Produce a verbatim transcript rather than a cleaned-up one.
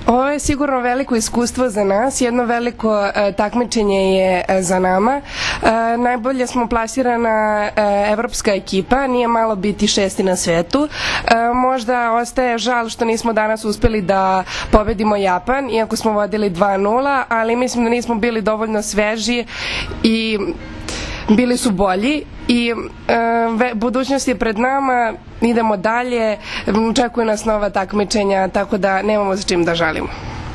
Ovo je sigurno veliko iskustvo za nas, jedno veliko e, takmičenje je e, za nama. E, najbolje smo plasirana e, evropska ekipa, nije malo biti šesti na svetu. E, možda ostaje žal što nismo danas uspeli da pobedimo Japan, iako smo vodili dva nula, ali mislim da nismo bili dovoljno sveži i bili su bolji i e, budućnost je pred nama, idemo dalje, očekuju nas nova takmičenja, tako da nemamo za čim da žalimo.